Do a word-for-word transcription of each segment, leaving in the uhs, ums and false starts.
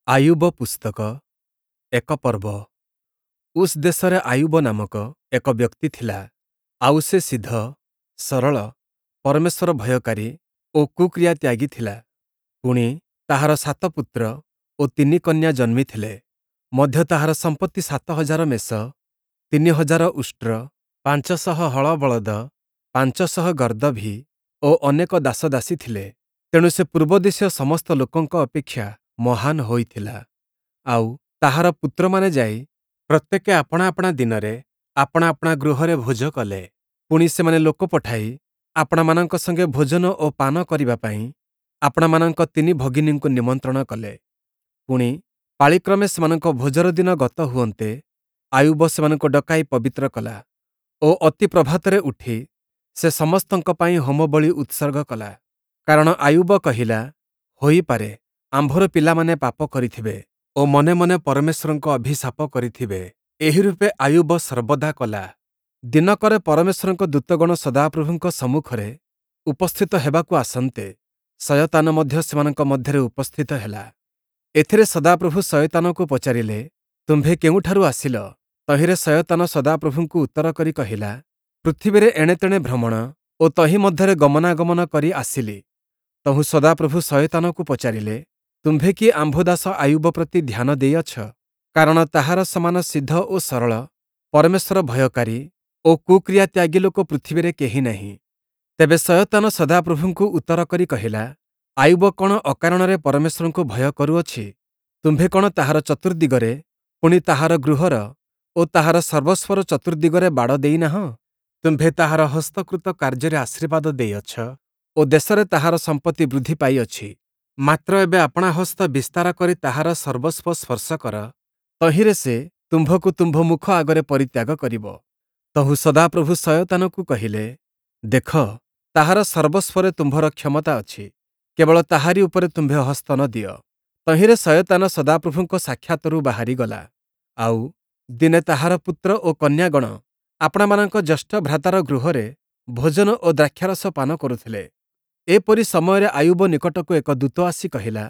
ଆୟୁବ ପୁସ୍ତକ ଏକ ପର୍ବ। ଉସ୍ ଦେଶରେ ଆୟୁବ ନାମକ ଏକ ବ୍ୟକ୍ତି ଥିଲା, ଆଉ ସେ ସିଧ, ସରଳ, ପରମେଶ୍ୱର ଭୟକାରୀ ଓ କୁକ୍ରିୟା ତ୍ୟାଗୀ ଥିଲା। ପୁଣି, ତାହାର ସାତ ପୁତ୍ର ଓ ତିନି କନ୍ୟା ଜନ୍ମିଥିଲେ। ମଧ୍ୟ ତାହାର ସମ୍ପତ୍ତି ସାତ ହଜାର ମେଷ, ତିନି ହଜାର ଉଷ୍ଟ୍ର, ପାଞ୍ଚ ଶହ ହଳ ବଳଦ, ପାଞ୍ଚ ଶହ ଗର୍ଦ୍ଦଭୀ ଓ ଅନେକ ଦାସଦାସୀ ଥିଲେ। ତେଣୁ ସେ ପୂର୍ବଦେଶୀୟ ସମସ୍ତ ଲୋକଙ୍କ ଅପେକ୍ଷା ମହାନ ହୋଇଥିଲା। ଆଉ ତାହାର ପୁତ୍ରମାନେ ଯାଇ ପ୍ରତ୍ୟେକେ ଆପଣା ଆପଣା ଦିନରେ ଆପଣା ଆପଣା ଗୃହରେ ଭୋଜ କଲେ। ପୁଣି ସେମାନେ ଲୋକ ପଠାଇ ଆପଣାମାନଙ୍କ ସଙ୍ଗେ ଭୋଜନ ଓ ପାନ କରିବା ପାଇଁ ଆପଣାମାନଙ୍କ ତିନି ଭଗିନୀଙ୍କୁ ନିମନ୍ତ୍ରଣ କଲେ। ପୁଣି ପାଳିକ୍ରମେ ସେମାନଙ୍କ ଭୋଜର ଦିନ ଗତ ହୁଅନ୍ତେ ଆୟୁବ ସେମାନଙ୍କୁ ଡକାଇ ପବିତ୍ର କଲା ଓ ଅତି ପ୍ରଭାତରେ ଉଠି ସେ ସମସ୍ତଙ୍କ ପାଇଁ ହୋମବଳି ଉତ୍ସର୍ଗ କଲା। କାରଣ ଆୟୁବ କହିଲା, ହୋଇପାରେ ଆମ୍ଭର ପିଲାମାନେ ପାପ କରିଥିବେ ଓ ମନେ ମନେ ପରମେଶ୍ୱରଙ୍କୁ ଅଭିଶାପ କରିଥିବେ। ଏହିରୂପେ ଆୟୁବ ସର୍ବଦା କଲା। ଦିନକରେ ପରମେଶ୍ୱରଙ୍କ ଦୂତଗଣ ସଦାପ୍ରଭୁଙ୍କ ସମ୍ମୁଖରେ ଉପସ୍ଥିତ ହେବାକୁ ଆସନ୍ତେ, ଶୟତାନ ମଧ୍ୟ ସେମାନଙ୍କ ମଧ୍ୟରେ ଉପସ୍ଥିତ ହେଲା। ଏଥିରେ ସଦାପ୍ରଭୁ ଶୟତାନକୁ ପଚାରିଲେ, ତୁମ୍ଭେ କେଉଁଠାରୁ ଆସିଲ? ତହିଁରେ ଶୟତାନ ସଦାପ୍ରଭୁଙ୍କୁ ଉତ୍ତର କରି କହିଲା, ପୃଥିବୀରେ ଏଣେତେଣେ ଭ୍ରମଣ ଓ ତହିଁ ମଧ୍ୟରେ ଗମନାଗମନ କରି ଆସିଲି। ତହୁଁ ସଦାପ୍ରଭୁ ଶୟତାନକୁ ପଚାରିଲେ, ତୁମ୍ଭେ କି ଆମ୍ଭ ଦାସ ଆୟୁବ ପ୍ରତି ଧ୍ୟାନ ଦେଇଅଛ? କାରଣ ତାହାର ସମାନ ସିଦ୍ଧ ଓ ସରଳ, ପରମେଶ୍ୱର ଭୟକାରୀ ଓ କୁକ୍ରିୟା ତ୍ୟାଗୀ ଲୋକ ପୃଥିବୀରେ କେହି ନାହିଁ। ତେବେ ଶୟତାନ ସଦାପ୍ରଭୁଙ୍କୁ ଉତ୍ତର କରି କହିଲା, ଆୟୁବ କ'ଣ ଅକାରଣରେ ପରମେଶ୍ୱରଙ୍କୁ ଭୟ କରୁଅଛି? ତୁମ୍ଭେ କ'ଣ ତାହାର ଚତୁର୍ଦ୍ଦିଗରେ, ପୁଣି ତାହାର ଗୃହର ଓ ତାହାର ସର୍ବସ୍ୱର ଚତୁର୍ଦ୍ଦିଗରେ ବାଡ଼ ଦେଇନାହଁ? ତୁମ୍ଭେ ତାହାର ହସ୍ତକୃତ କାର୍ଯ୍ୟରେ ଆଶୀର୍ବାଦ ଦେଇଅଛ ଓ ଦେଶରେ ତାହାର ସମ୍ପତ୍ତି ବୃଦ୍ଧି ପାଇଅଛି। ମାତ୍ର ଏବେ ଆପଣା ହସ୍ତ ବିସ୍ତାର କରି ତାହାର ସର୍ବସ୍ୱ ସ୍ପର୍ଶ କର, ତହିଁରେ ସେ ତୁମ୍ଭକୁ ତୁମ୍ଭ ମୁଖ ଆଗରେ ପରିତ୍ୟାଗ କରିବ। ତହୁଁ ସଦାପ୍ରଭୁ ଶୟତାନକୁ କହିଲେ, ଦେଖ, ତାହାର ସର୍ବସ୍ୱରେ ତୁମ୍ଭର କ୍ଷମତା ଅଛି, କେବଳ ତାହାରି ଉପରେ ତୁମ୍ଭେ ହସ୍ତ ନ ଦିଅ। ତହିଁରେ ଶୟତାନ ସଦାପ୍ରଭୁଙ୍କ ସାକ୍ଷାତରୁ ବାହାରିଗଲା। ଆଉ ଦିନେ ତାହାର ପୁତ୍ର ଓ କନ୍ୟାଗଣ ଆପଣାମାନଙ୍କ ଜ୍ୟେଷ୍ଠ ଭ୍ରାତାର ଗୃହରେ ଭୋଜନ ଓ ଦ୍ରାକ୍ଷାରସ ପାନ କରୁଥିଲେ। ଏପରି ସମୟରେ ଆୟୁବ ନିକଟକୁ ଏକ ଦୂତ ଆସି କହିଲା,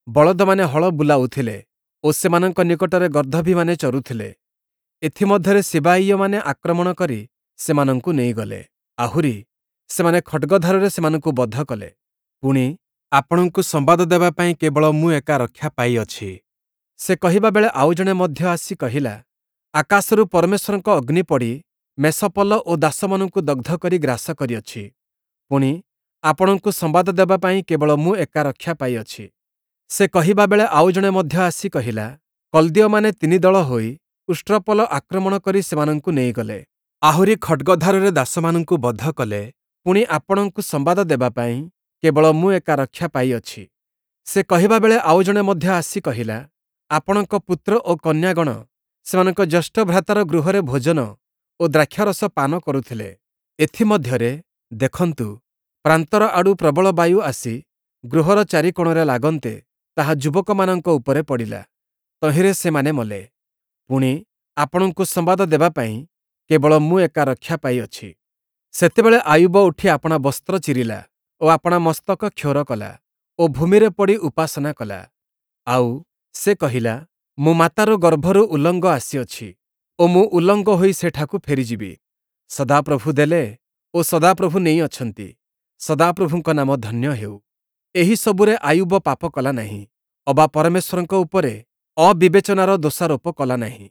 ବଳଦମାନେ ହଳ ବୁଲାଉଥିଲେ ଓ ସେମାନଙ୍କ ନିକଟରେ ଗର୍ଦ୍ଦଭୀମାନେ ଚରୁଥିଲେ। ଏଥିମଧ୍ୟରେ ସିବାୟୀୟମାନେ ଆକ୍ରମଣ କରି ସେମାନଙ୍କୁ ନେଇଗଲେ। ଆହୁରି ସେମାନେ ଖଡ଼୍ଗଧାରରେ ସେମାନଙ୍କୁ ବଧ କଲେ। ପୁଣି ଆପଣଙ୍କୁ ସମ୍ବାଦ ଦେବା ପାଇଁ କେବଳ ମୁଁ ଏକା ରକ୍ଷା ପାଇଅଛି। ସେ କହିବା ବେଳେ ଆଉ ଜଣେ ମଧ୍ୟ ଆସି କହିଲା, ଆକାଶରୁ ପରମେଶ୍ୱରଙ୍କ ଅଗ୍ନି ପଡ଼ି ମେଷପଲ ଓ ଦାସମାନଙ୍କୁ ଦଗ୍ଧ କରି ଗ୍ରାସ କରିଅଛି। ପୁଣି ଆପଣଙ୍କୁ ସମ୍ବାଦ ଦେବା ପାଇଁ କେବଳ ମୁଁ ଏକା ରକ୍ଷା ପାଇଅଛି। ସେ କହିବା ବେଳେ ଆଉ ଜଣେ ମଧ୍ୟ ଆସି କହିଲା, କଲ୍ଦୀୟମାନେ ତିନି ଦଳ ହୋଇ ଉଷ୍ଟ୍ରପଲ ଆକ୍ରମଣ କରି ସେମାନଙ୍କୁ ନେଇଗଲେ। ଆହୁରି ଖଡ଼୍ଗଧାରରେ ଦାସମାନଙ୍କୁ ବଧ କଲେ। ପୁଣି ଆପଣଙ୍କୁ ସମ୍ବାଦ ଦେବା ପାଇଁ କେବଳ ମୁଁ ଏକା ରକ୍ଷା ପାଇଅଛି। ସେ କହିବା ବେଳେ ଆଉ ଜଣେ ମଧ୍ୟ ଆସି କହିଲା, ଆପଣଙ୍କ ପୁତ୍ର ଓ କନ୍ୟାଗଣ ସେମାନଙ୍କ ଜ୍ୟେଷ୍ଠ ଭ୍ରାତାର ଗୃହରେ ଭୋଜନ ଓ ଦ୍ରାକ୍ଷାରସ ପାନ କରୁଥିଲେ। ଏଥିମଧ୍ୟରେ ଦେଖନ୍ତୁ, ପ୍ରାନ୍ତର ଆଡ଼ୁ ପ୍ରବଳ ବାୟୁ ଆସି ଗୃହର ଚାରିକୋଣରେ ଲାଗନ୍ତେ ତାହା ଯୁବକମାନଙ୍କ ଉପରେ ପଡ଼ିଲା, ତହିଁରେ ସେମାନେ ମଲେ। ପୁଣି ଆପଣଙ୍କୁ ସମ୍ବାଦ ଦେବା ପାଇଁ କେବଳ ମୁଁ ଏକା ରକ୍ଷା ପାଇଅଛି। ସେତେବେଳେ ଆୟୁବ ଉଠି ଆପଣା ବସ୍ତ୍ର ଚିରିଲା ଓ ଆପଣା ମସ୍ତକ କ୍ଷୌର କଲା ଓ ଭୂମିରେ ପଡ଼ି ଉପାସନା କଲା। ଆଉ ସେ କହିଲା, ମୁଁ ମାତାର ଗର୍ଭରୁ ଉଲଙ୍ଗ ଆସିଅଛି ଓ ମୁଁ ଉଲଙ୍ଗ ହୋଇ ସେଠାକୁ ଫେରିଯିବି। ସଦାପ୍ରଭୁ ଦେଲେ ଓ ସଦାପ୍ରଭୁ ନେଇଅଛନ୍ତି, ସଦାପ୍ରଭୁଙ୍କ ନାମ ଧନ୍ୟ ହେଉ। ଏହି ସବୁରେ ଆୟୁବ ପାପ କଲା ନାହିଁ, ଅବା ପରମେଶ୍ୱରଙ୍କ ଉପରେ ଅବିବେଚନାର ଦୋଷାରୋପ କଲା ନାହିଁ।